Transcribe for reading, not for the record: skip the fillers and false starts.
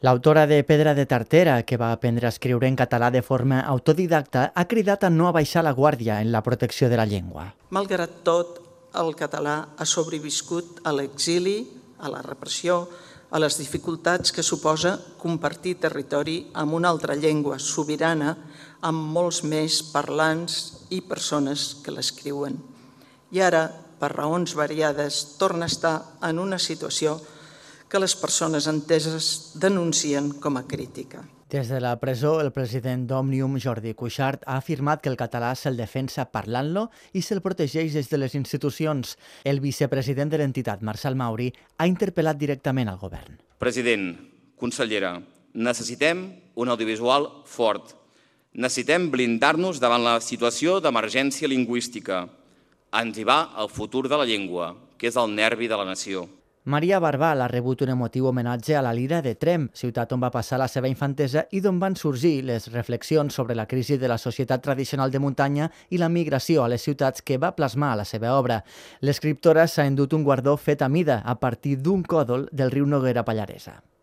L'autora de Pedra de Tartera, que va aprendre a escriure en català de forma autodidacta, ha cridat a no abaixar la guàrdia en la protecció de la llengua. Malgrat tot, el català ha sobreviscut a l'exili, a la repressió, a les dificultats que suposa compartir territori amb una altra llengua sobirana amb molts més parlants i persones que l'escriuen. I ara, per raons variades, torna a estar en una situació que les persones enteses denuncien com a crítica. Des de la presó, el president d'Òmnium, Jordi Cuixart, ha afirmat que el català se'l defensa parlant-lo i se'l protegeix des de les institucions. El vicepresident de l'entitat, Marçal Mauri, ha interpel·lat directament al govern. President, consellera, necessitem un audiovisual fort. Necessitem blindar-nos davant la situació d'emergència lingüística. Ens hi va el futur de la llengua, que és el nervi de la nació. Maria Barbal ha rebut un emotiu homenatge a la Lira de Tremp, ciutat on va passar la seva infantesa i d'on van sorgir les reflexions sobre la crisi de la societat tradicional de muntanya i la migració a les ciutats que va plasmar a la seva obra. L'escriptora s'ha endut un guardó fet a mida a partir d'un còdol del riu Noguera Pallaresa.